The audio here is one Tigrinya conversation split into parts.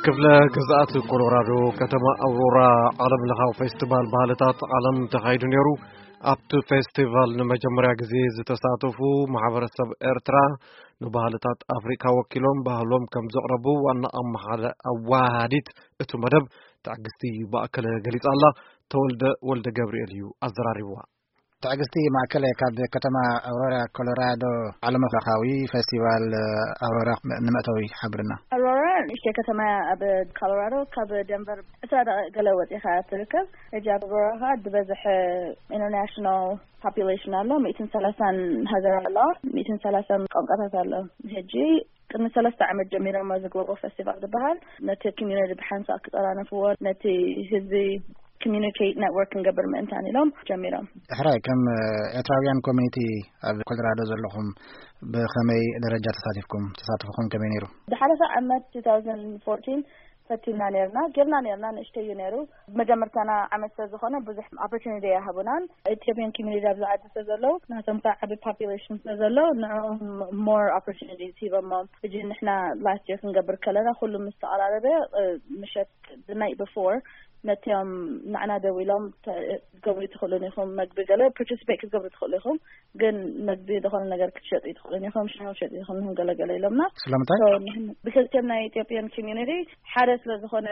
ክፍለ ግዝኣት ኮሎራዶ፣ ከተማ ኣውሮራ፣ ዓለም ለኻዊ ፌስቲቫል ባህልታት ዓለም ተኻይዱ ነይሩ። ኣብቲ ፌስቲቫል ንመጀመርያ ግዜ ዝተሳተፉ ማሕበረሰብ ኤርትራ፣ ንባህልታት ኣፍሪካ ወኪሎም ባህሎም ከም ዘቕረቡ ዋና ኣመሓደ-፣ ኣዋሃዲት እቲ መደብ ትዕግስቲ ማእከለ ገሊጻ ኣላ። ተወልደ ወልደ ገብርኤል እዩ ኣዘራሪብዋ። ትዕግስቲ ማእከለ ካብ ከተማ ኣውሮራ ኮሎራዶ፣ ዓለም ለኻዊ ፌስቲቫል ኣውሮራ ንመእተዊ ሓብርና። ኣውሮራ ንእሽተይ ከተማ እያ ኣብ ኮሎራዶ፣ ካብ ደንቨር ዕስራ ደቂቕ ገለ ወፂኻ ትርከብ። ሕጂ ኣብ ኣውሮራ ከዓ ዝበዝሐ ኢንተርናሽናል ፖፑሌሽን ኣሎ፣ ሚእትን ሰላሳን ሃገር ኣለዋ፣ ሚእትን ሰላሳን ቋንቋታት ኣሎ። ሕጂ ቅድሚ ሰለስተ ዓመት ጀሚሮም እዚ ግሎባል ፌስቲቫል ዝበሃል፣ ነቲ ኮሚዩኒቲ ብሓንሳእ ክጠራነፍዎ፣ ነቲ ህዝቢ ኮሚዩኒኬት ኔትወርክ ክንገብር ምእንታን ኢሎም ጀሚሮም። ሕራይ፣ ከም ኤርትራውያን ኮሚኒቲ ኣብ ኮሎራዶ ዘለኹም ብኸመይ ደረጃ ተሳቲፍኩም? ተሳትፎኹም ከመይ ነይሩ? ዝሓለፈ ዓመት two thousand fourteen ፈቲና ነርና፣ ጌርና ነርና፣ ንእሽተይ እዩ ነይሩ። መጀመርታና ዓመት ስለ ዝኾነ ብዙሕ ኦፖርቹኒቲ ኣይሃቡናን። ኢትዮጵያን ኮሚኒቲ ኣብዚ ዓዲ ስለ ዘለዉ፣ ናቶም ከዓ ዓቢ ፖፑሌሽን ስለ ዘሎ፣ ንዕኦም ሞር ኦፖርቹኒቲ ሂቦሞም። ሕጂ ንሕና ላስት የር ክንገብር ከለና፣ ኩሉ ምስ ተቐራረበ፣ እ፣ ምሸት፣ the night before፣ ነቲኦም ንዓና ደዊሎም ተ-፣ ክትገብሩ ትኽእሉን ኢኹም፣ መግቢ ገለ ፓርቲሲፔት ክትገብሩ ትኽእሉ ኢኹም፣ ግን መግቢ ዝኾነ ነገር ክትሸጡ ትኽእሉን ኢኹም፣ ሻሂ ክትሸጡ ትኽእሉን ኢኹም፣ ገለ ገለ ኢሎምና። ስለምንታይ? So፣ ንሕና፣ because እቶም ናይ ኢትዮጵያን ኮሚዩኒቲ ሓደ ስለ ዝኾነ፣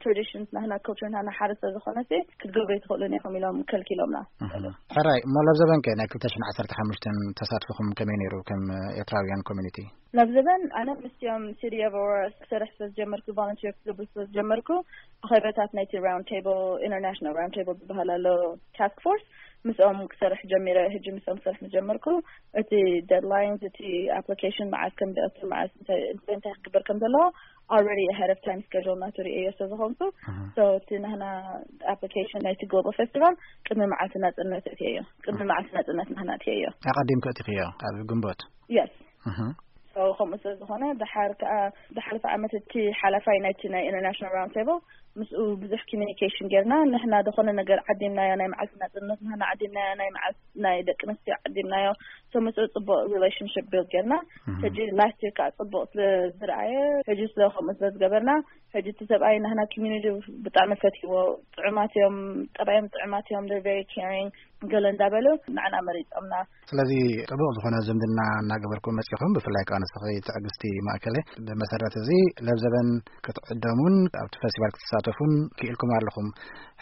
ትራዲሽንስ ናህና፣ ካልቸር ናህና ሓደ ስለ ዝኾነ፣ ሲ ክትገብሩ ትኽእሉን ኢኹም ኢሎም ከልኪሎምና። እህ። ሕራይ፣ እሞ ለብዘበን ከ ናይ ክልተ ሽሕን ዓሰርተ ሓሙሽተን ተሳትፎኹም ከመይ ነይሩ ከም ኤርትራውያን ኮሚኒቲ? ለብዘበን ኣነ ምስኦም ሲቲ ኦፍ ኣውሮራ ክሰርሕ ስለ ዝጀመርኩ፣ ቮለንቲር ክገብር ስለ ዝጀመርኩ፣ ኣኼባታት ናይቲ ራውንድ ቴብል፣ ኢንተርናሽናል ራውንድ ቴብል ዝበሃል ኣሎ፣ ታስክ ፎርስ፣ ምስኦም ክሰርሕ ጀሚረ። ሕጂ ምስኦም ክሰርሕ ምስ ጀመርኩ፣ እቲ ዴድላይንስ፣ እቲ ኣፕሊኬሽን መዓስ ከም ዝኣቱ፣ መዓስ እንታይ፣ እንታይ፣ እንታይ ክግበር ከም ዘለዎ፣ already ahead of time schedule ናቱ ርእየዮ ስለ ዝኾንኩ፣ እህ። So፣ እቲ ናህና ኣፕሊኬሽን ናይቲ ግሎባል ፌስቲቫል ቅድሚ መዓልቲ ናጽነት እትየዮ፣ ቅድሚ መዓልቲ ናጽነት ናህና እትየዮ። ኣቐዲምኩ እቲኽዮ ኣብ ግንቦት? የስ። እህ። So፣ ከምኡ ስለ ዝኾነ፣ ድሓር ከኣ፣ ዝሓለፈ ዓመት እቲ ሓላፋይ ናይቲ ናይ ኢንተርናሽናል ራውንድ ቴብል፣ ምስኡ ብዙሕ ኮሚኒኬሽን ጌርና። ንሕና ዝኾነ ነገር ዓዲምናዮ፣ ናይ መዓልቲ ናጽነት ናህና ዓዲምናዮ፣ ናይ መዓልቲ ናይ ደቂ ኣንስትዮ ዓዲምናዮ። So፣ ምስኡ ጽቡቕ ሪሌሽንሽፕ ቢልድ ጌርና። እህ። ሕጂ ላስት የር ከኣ ጽቡቕ ስለ ዝረኣየ፣ ሕጂ ስለ ከምኡ ስለ ዝገበርና፣ ሕጂ እቲ ሰብኣይ ናህና ኮሚኒቲ ብጣዕሚ ፈትይዎ። ጥዑማት እዮም፣ ጠባዮም ጥዑማት እዮም፣ they're very caring፣ ገለ እንዳበሉ ንዓና መሪጾምና። ስለዚ ጥቡቕ ዝኾነ ዝምድና እናገበርኩም መጺኹም፣ ብፍላይ ከኣ ንስኺ ትዕግስቲ ማእከለ። ብመሰረት እዚ ለብዘበን ክትዕደሙን ኣብቲ ፌስቲቫል ክትሳተፉን ክኢልኩም ኣለኹም።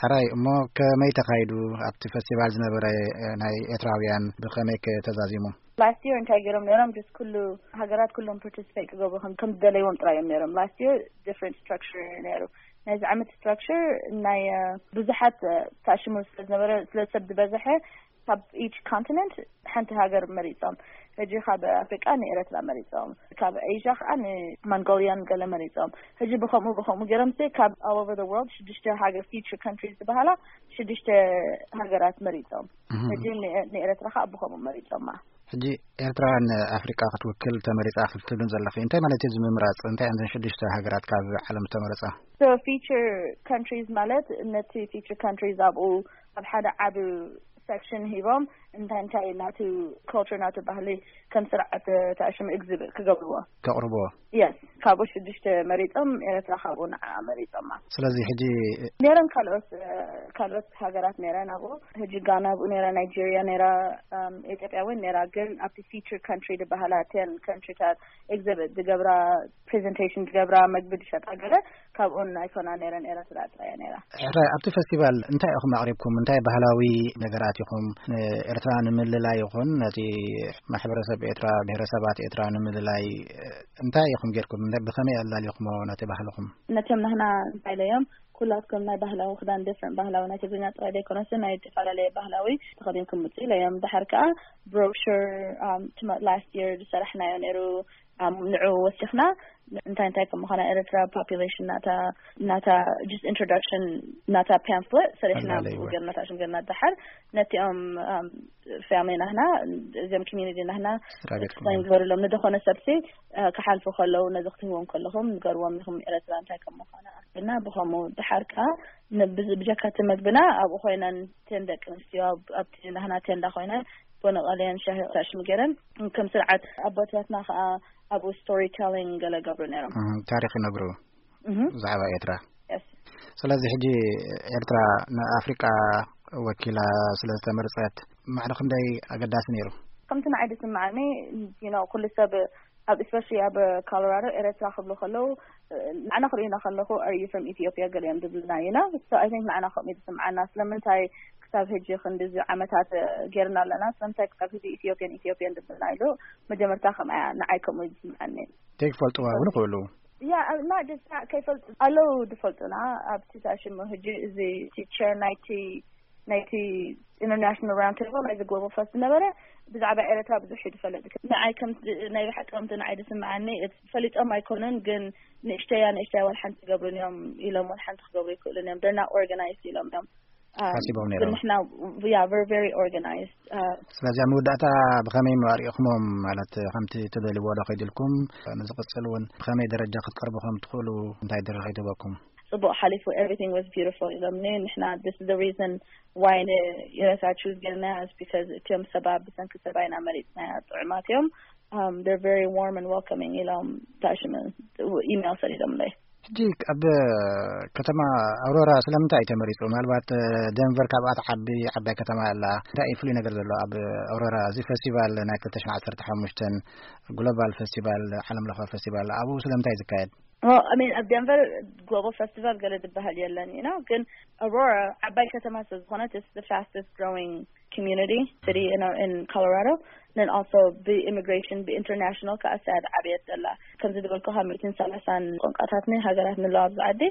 ሕራይ፣ እሞ ከመይ ተኻይዱ? ኣብቲ ፌስቲቫል ዝነበረ፣ እ፣ ናይ ኤርትራውያን ብኸመይ ከ ተዛዚሙ? ላስት የር እንታይ ገይሮም ነይሮም? ጀስት ኩሉ ሃገራት ኩሎም ፓርቲሲፔት ክገብሩ ከም፣ ከም ዝደለይዎም ጥራይ እዮም ነይሮም። ላስት የር ዲፍረንት ስትራክቸር ነይሩ። ናይዚ ዓመት ስትራክቸር ናይ፣ እ፣ ብዙሓት፣ እ፣ ተኣሽሙ ስለ ዝነበረ፣ ስለ ሰብ ዝበዝሐ፣ ካብ ኢች ኮንቲነንት ሓንቲ ሃገር መሪጾም። ሕጂ ካብ ኣፍሪቃ ንኤረትራ መሪጾም፣ ካብ ኤዥያ ከኣ ንሞንጎልያን ገለ መሪጾም። ሕጂ ብኸምኡ ብኸምኡ ገይሮም ሲ ካብ all over the world ሽዱሽተ ሃገር፣ ፊቸር ካንትሪስ ዝበሃላ ሽዱሽተ ሃገራት መሪጾም። እህ። ሕጂ ን-፣ ንኤረትራ ከኣ ብኸምኡ መሪጾማ። ሕጂ ኤርትራ ንኣፍሪቃ ክትውክል ተመሪጻ ክትብልን ዘለኺ፣ እንታይ ማለት እዩ እዚ ምምራጽ? እንታይ እየን እዘን ሽዱሽተ ሃገራት ካብ ዓለም ዝተመረጻ? So ፊቸር ካንትሪስ ማለት ነቲ ፊቸር ካንትሪስ ኣብኡ ኣብ ሓደ ዓቢ ሴክሽን ሂቦም እንታይ እንታይ ናቱ ካልቸር ናቱ ባህሊ ከም ስርዓት ተኣሽሙ ኤግዚቢት ክገብርዎ። ከቕርብዎ። የስ፣ ካብኡ ሽዱሽተ መሪጾም፣ ኤረትራ ካብኡ ንዓ መሪጾማ። ስለዚ ሕጂ ነይረን ካልኦት፣ እ፣ ካልኦት ሃገራት ነይረን ኣብኡ። ሕጂ ጋና ኣብኡ ነይራ፣ ናይጄርያ ነይራ፣ እም፣ ኢትዮጵያ እውን ነይራ። ግን ኣብቲ ፊቸር ካንትሪ ዝበሃላ ቴን ካንትሪታት ኤግዚቢት ዝገብራ፣ ፕሬዘንቴሽን ዝገብራ፣ መግቢ ዝሸጣ ገለ ካብኡን ኣይኮና ነይረን፣ ኤረትራ ጥራይ እያ ነይራ። ሕራይ፣ ኣብቲ ፌስቲቫል እንታይ ኢኹም ኣቕሪብኩም? እንታይ ባህላዊ ነገራት ኢኹም ንኤርትራ ንምልላይ ይኹን ነቲ ማሕበረሰብ ኤርትራ፣ ብሄረሰባት ኤርትራ ንምልላይ እንታይ ኢኹም ጌርኩም? እንታይ፣ ብኸመይ ኣላሊኹሞ ነቲ ባህልኹም? ነቶም ናህና እንታይ ኢለዮም? ኩላትኩም ናይ ባህላዊ ክዳን፣ ዲፍረንት ባህላዊ፣ ናይ ትግርኛ ጥራይ ዘይኮነስ ናይ ዝተፈላለየ ባህላዊ ተኸዲንኩም ምጹ ኢለዮም። ድሓር ከኣ ብሮሹር፣ ኣም፣ ትማ-፣ ላስት የር ዝሰራሕናዮ ነይሩ፣ ኣም፣ ንዑ ወሲኽና እንታይ እንታይ ከም ምዃና፣ ኤርትራ ፖፑሌሽን ናታ፣ ናታ ጀስት ኢንትሮዳክሽን ናታ ፓምፍሌት ሰሪሕና፣ ኣላለይዎ። ብኡ ገርና፣ ታሽም ገርና፣ ድሓር ነቲኦም፣ ኣም፣ ፋሚሊ ናህና፣ እዚኦም ኮሚኒቲ ናህና ስራ ቤትኩም። ኤክስፕሌን ግበርሎም። ንዝኾነ ሰብሲ፣ እ፣ ክሓልፉ ከለዉ ነዚ ክትህዎም ከለኹም ንገርዎም ኢኹም ኤረትራ እንታይ ከም ምዃና። እና ብኸምኡ ድሓር ከኣ ን-፣ ብዝ-፣ ብጀካ እቲ መግብና ኣብኡ ኮይነን፣ እተን ደቂ ኣንስትዮ ኣብ-፣ ኣብቲ ናህና ቴንዳ ኮይነን ቡን ቀልየን ሻሂ ታሽም ገይረን፣ ከም ስርዓት ኣቦታትና ከኣ ኣብኡ ስቶሪ ቴሊንግ ገለ ገብሩ ነይሮም። እህ፣ ታሪኽ ይነግሩ። እህ። ብዛዕባ ኤርትራ። የስ። ስለዚ ሕጂ ኤርትራ ንኣፍሪቃ ወኪላ ስለ ዝተመርጸት ማዕረ ክንደይ ኣገዳሲ ነይሩ? ከምቲ ንዓይ ዝስምዓኒ፣ you know፣ ኩሉ ሰብ ኣብ፣ especially ኣብ ኮሎራዶ፣ ኤረትራ ክብሉ ከለዉ፣ ንዓና ክርእዩና ከለኹ፣ "Are you from Ethiopia?" ገሊኦም ዝብሉና፣ you know? So I think ንዓና ከምኡ እዩ ዝስምዓና። ስለምንታይ ክሳብ ሕጂ ክንድዚ ዓመታት ጌርና ኣለና፣ ስለምንታይ ክሳብ ሕጂ ኢትዮጵያን ኢትዮጵያን ዝብሉና ኢሉ መጀመርታ ከምኣ ንዓይ ከምኡ እዩ ዝስምዓኒ። ዘይክፈልጥዋ እውን ይኽእሉ። Yeah, not just that፣ ከይፈልጡ ኣለዉ ዝፈልጡና። ኣብቲ ታሽሙ ሕጂ እዚ ቲቸር ናይቲ ናይቲ ኢንተርናሽናል ራውንድ ቴብል፣ ናይዚ ግሎባል ፈስት ዝነበረ፣ ብዛዕባ ኤረትራ ብዙሕ እዩ ዝፈልጥ። ንዓይ ከም፣ ናይ ብሓቂ ከምቲ ንዓይ ዝስምዓኒ፣ ፈሊጦም ኣይኮኑን፣ ግን ንእሽተያ ንእሽተያ ዋላ ሓንቲ ይገብሩን እዮም ኢሎም፣ ዋላ ሓንቲ ክገብሩ ይክእሉን እዮም። They're not organized ኢሎም እዮም። Um፣ ሓሲቦም ነይሮም። ግን ንሕና፣ yeah, we're very organized። Uh፣ ስለዚ ኣብ መወዳእታ ብኸመይ ኣርእኹሞም? ማለት ከምቲ ትደልይዎ ዶ ከይድልኩም፣ ንዝቕጽል እውን ብኸመይ ደረጃ ክትቀርቡ ከም ትኽእሉ እንታይ ድርኺ ትህበኩም? ጽቡቕ ሓሊፉ፣ everything was beautiful ኢሎምኒ። ንሕና፣ this is the reason why ንኤረትራ ቹዝ ጌርና is because እቲኦም ሰባ ብሰንኪ ሰባ ኢና መሪጽናያ፣ ጥዑማት እዮም። Um, they're very warm and welcoming ኢሎም ታሽም ኢሜል ሰዲዶምለይ። ሕጂ ኣብ ከተማ ኣውሮራ ስለምንታይ እዩ ተመሪጹ? ምናልባት ደንቨር ካብኣ ትዓቢ ዓባይ ከተማ ኣላ። እንታይ እዩ ፍሉይ ነገር ዘሎ ኣብ ኣውሮራ? እዚ ፈስቲቫል ናይ ክልተ ሽሕን ዓሰርተ ሓሙሽተን ግሎባል ፈስቲቫል፣ ዓለም ለኸ ፈስቲቫል ኣብኡ ስለምንታይ እዩ ዝካየድ? Well, I mean, ኣብ ደንቨር ግሎባል ፈስቲቫል ገለ ዝበሃል የለን፣ you know፣ ግን ኣውሮራ ዓባይ ከተማ ስለ ዝኾነት፣ it's the fastest growing community city in, in Colorado. Then also ብኢሚግሬሽን፣ ብኢንተርናሽናል ከዓ ሳያድ ዓብየት ዘላ። ከምዚ ዝበልኩ ካብ ሚእትን ሰላሳን ቋንቋታት ናይ ሃገራት ንለዋ ኣብዚ ዓዲ፣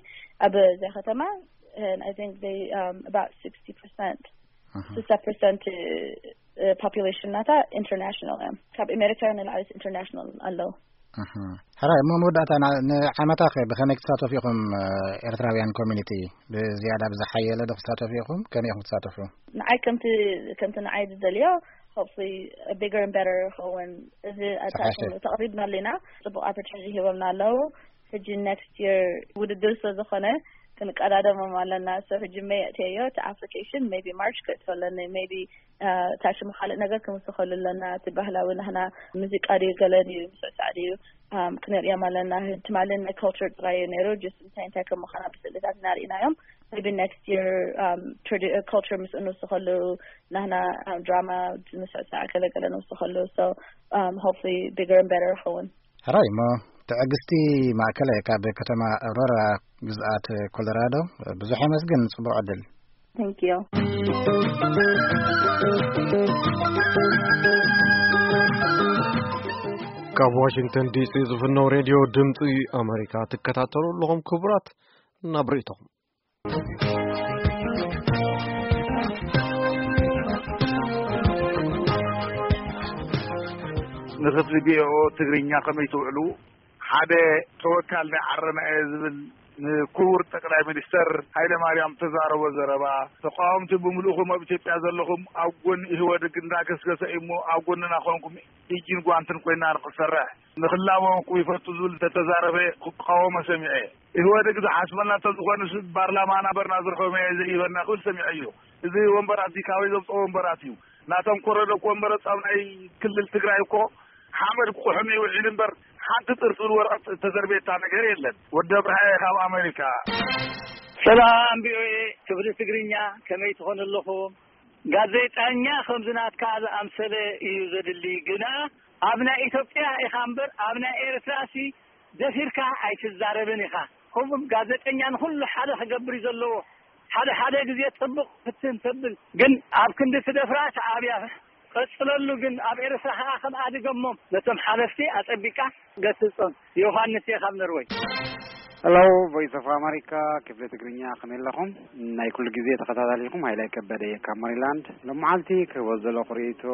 ኣብ እዚኣ ከተማ፣ and I think they, um, about sixty percent፣ Mhm. ስሳ ፐርሰንት ፖፑሌሽን ናታ ኢንተርናሽናል እዮም። ካብ ኣሜሪካ ንላዕሊ ኢንተርናሽናል ኣለዉ። እህ። ሕራይ፣ እሞ መወዳእታ ና-፣ ንዓመታ ኸ ብኸመይ ክትሳተፉ ኢኹም? ኤርትራውያን ኮሚኒቲ ብዝያዳ ብዝሓየለ ዶ ክትሳተፉ ኢኹም? ከመይ ኢኹም ክትሳተፉ? ንዓይ ከምቲ፣ ከምቲ ንዓይ ዝደልዮ፣ hopefully bigger and better ይኸውን። እዚ ሰሓሸ። ኣታሽም ተቕሪብና ኣለና፣ ጽቡቕ ኦፖርቹኒቲ ሂቦምና ኣለዉ። ሕጂ ኔክስት ይር ውድድር ስለ ዝኾነ ክንቀዳደሞም ኣለና። So ሕጂ ሜይ ኣእትየዮ እቲ ኣፕሊኬሽን፣ ሜቢ ማርች ከእትዮ ኣለኒ፣ ሜቢ፣ እ፣ ታሽም ካልእ ነገር ክንውስኸሉ ኣለና። እቲ ባህላዊ ናህና ሙዚቃ ድዩ፣ ገለ ድዩ፣ ምስዕሳዕ ድዩ፣ ኣም፣ ክንርእዮም ኣለና። ትማሊ ናይ ካልቸር ጥራይ እዩ ነይሩ፣ ጀስት እንታይ እንታይ ከም ምዃና ብስእልታት ኢና ርኢናዮም። ሜቢ ኔክስት ይር፣ ኣም፣ ትራዲ-፣ ካልቸር ምስ እንውስኸሉ፣ ናህና፣ ኣም፣ ድራማ፣ ምስዕሳዕ ገለ ገለ ንውስኸሉ። So፣ ኣም፣ ሆፕፉሊ ቢገር ኤንድ ቤተር ይኸውን። ሕራይ እሞ፣ ትዕግስቲ ማእከለ ካብ ከተማ ኣውሮራ ግዝኣት ኮሎራዶ፣ ብዙሕ የመስግን። ጽቡቕ ዕድል። Thank you። ካብ ዋሽንግተን ዲሲ ዝፍነው ሬድዮ ድምፂ ኣሜሪካ ትከታተሉ ኣለኹም። ክቡራት፣ ናብ ርእይቶኹም። ንክፍሊ ቪኦኦ ትግርኛ ከመይ ትውዕሉ? ሓደ ተወካል ናይ ዓረና እየ ዝብል ንክቡር ጠቅላይ ሚኒስተር ሃይለ ማርያም ተዛረቦ ዘረባ፣ ተቃወምቲ ብምልእኹም ኣብ ኢትዮጵያ ዘለኹም ኣብ ጎኒ ኢህወደግ እንዳገስገሰ እዩ እሞ ኣብ ጎንና ኮንኩም ኢጅን ጓንትን ኮይና ንክሰርሕ ንክላበወኩም ይፈቱ ዝብል እንተተዛረበ ክቃወሞ ሰሚዐ። ኢህወደግ ዝሓስበና እንተዝኾንስ ፓርላማና በርና ዝረኸበ መያ ዘይበና ክብል ሰሚዐ እዩ። እዚ ወንበራት እዚ ካበይ ዘምፅኦ ወንበራት እዩ? ናቶም ኮረዶ እኮ ወንበረ ፃብ ናይ ክልል ትግራይ እኮ ሓመድ ክቑሕም ይውዒል እምበር ሓንቲ ጥርጥር ወረቐት እተዘርቤታ ነገር የለን። ወዲ ኣብርሃ ካብ ኣሜሪካ። ሰላም ቪኦኤ ክፍሊ ትግርኛ፣ ከመይ ትኾኑ ኣለኹም? ጋዜጠኛ ከምዚ ናትካ ዝኣምሰለ እዩ ዘድሊ። ግና ኣብ ናይ ኢትዮጵያ ኢኻ እምበር ኣብ ናይ ኤርትራሲ ደፊርካ ኣይትዛረብን ኢኻ። ከምኡም ጋዜጠኛ ንኹሉ ሓደ ክገብር እዩ ዘለዎ። ሓደ ሓደ ግዜ ጽቡቕ ፍትን ተብል፣ ግን ኣብ ክንዲ ትደፍራ ተዓብያ። ቀጽለሉ፣ ግን ኣብ ኤርትራ ከኣ ከም ኣድገሞም ነቶም ሓለፍቲ ኣጸቢቃ ገስጾም። ዮሃንስ እየ ካብ ኖርወይ። ሄሎ፣ ቮይስ ኦፍ ኣሜሪካ፣ ክፍሊ ትግርኛ፣ ከመይ ኣለኹም? ናይ ኩሉ ግዜ ተኸታታሊኹም ሃይላይ ከበደ እየ ካብ ሜሪላንድ። ሎመዓልቲ ክህቦ ዘለኹ ርእይቶ፣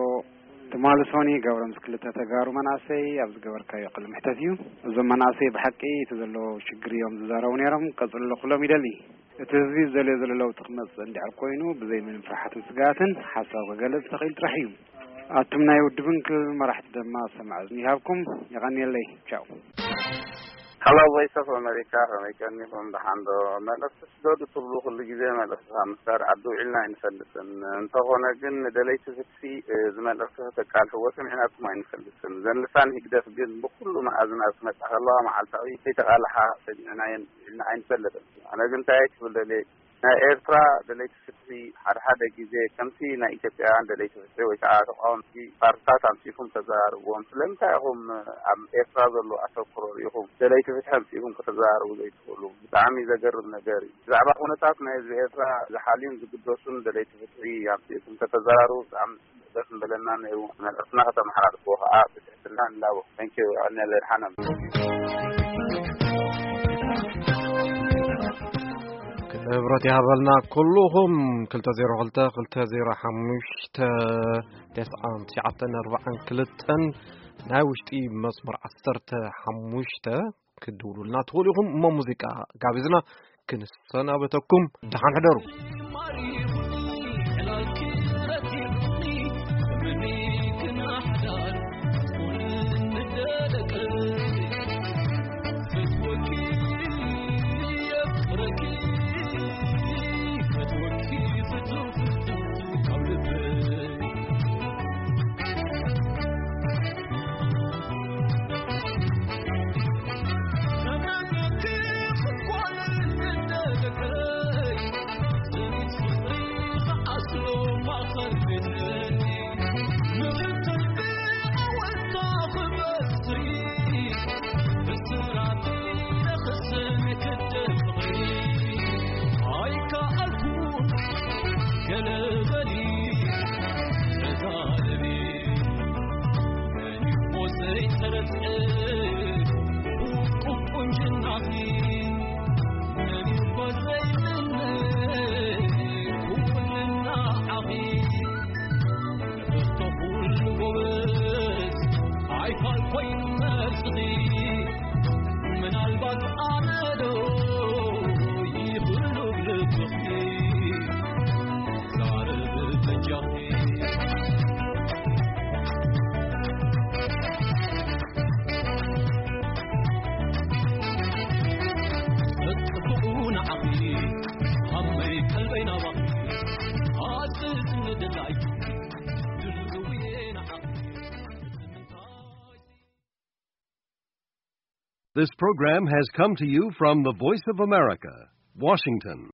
ትማሊ ሶኒ ገብረ ምስ ክልተ ተጋሩ መናእሰይ ኣብ ዝገበርካዮ ቅልምሕተት እዩ። እዞም መናእሰይ ብሓቂ እቲ ዘሎ ሽግር እዮም ዝዛረቡ ነይሮም። ቀጽሎ ኩሎም ይደሊ። እቲ ህዝቢ ዝደልዮ ዘሎ ለውጢ ክመጽእ እንድሕር ኮይኑ፣ ብዘይ ምንም ፍርሓትን ስግኣትን ሓሳብ ክገልጽ ተኽኢሉ ጥራሕ እዩ። ኣቱም ናይ ውድብን ክልል መራሕቲ ድማ ሰማዕ እዝኒ ይሃብኩም። የቐንየለይ። ቻው። Hello, Voice of America, ከመይ ቀኒኹም? ደሓን ዶ? መልእኽቲ ስደዱ ትብሉ ኩሉ ግዜ መልእኽቲ ካብ ምስዳድ ዓዲ ውዒልና ኣይንፈልጥን። እንተኾነ ግን ንደለይቲ ፍትሒ፣ እ፣ እዚ መልእኽቲ ከተቃልሕዎ ሰሚዕናኩም ኣይንፈልጥን። እዘን ልሳን ህግደፍ ግን ብኩሉ መኣዝናት ክመጻ ከለዋ መዓልታዊ ከይተቃልሓ ሰሚዕናየን ውዒልና ኣይንፈልጥን። ኣነ ግን እንታይ ክብል ደልየ፣ ናይ ኤርትራ ደለይቲ ፍትሒ ሓደ ሓደ ግዜ ከምቲ ናይ ኢትዮጵያውያን ደለይቲ ፍትሒ ወይ ከዓ ተቃወምቲ ፓርትታት ኣምጺእኩም ተዘራርብዎም። ስለምንታይ ኢኹም ኣብ ኤርትራ ዘሎ ኣተኩሮ ርኢኹም ደለይቲ ፍትሒ ኣምጺእኩም ከተዘራርቡ ዘይትኽእሉ? ብጣዕሚ ዘገርም ነገር እዩ። ብዛዕባ ኩነታት ናይ ህዝቢ ኤርትራ ዝሓልዩን ዝግደሱን ደለይቲ ፍትሒ ኣምጺእኩም ከተዘራርቡ ብጣዕሚ ደስ ምበለና ነይሩ። መልእኽትና ከተመሓላልፍዎ ከዓ ብትሕትና ንላቦ። Thank you። ኣነ ለድሓና ክብረት ይሃበልና። ኩልኹም ክልተ ዜሮ ክልተ ክልተ ዜሮ ሓሙሽተ ተስዓን ትሽዓተን ኣርባዓን ክልተን ናይ ውሽጢ መስመር ዓሰርተ ሓሙሽተ ክትድውሉልና ትኽእሉ ኢኹም። እሞ ሙዚቃ ጋቢዝና ክንሰናበተኩም፣ ደሓን ሕደሩ። This program has come to you from the Voice of America, Washington.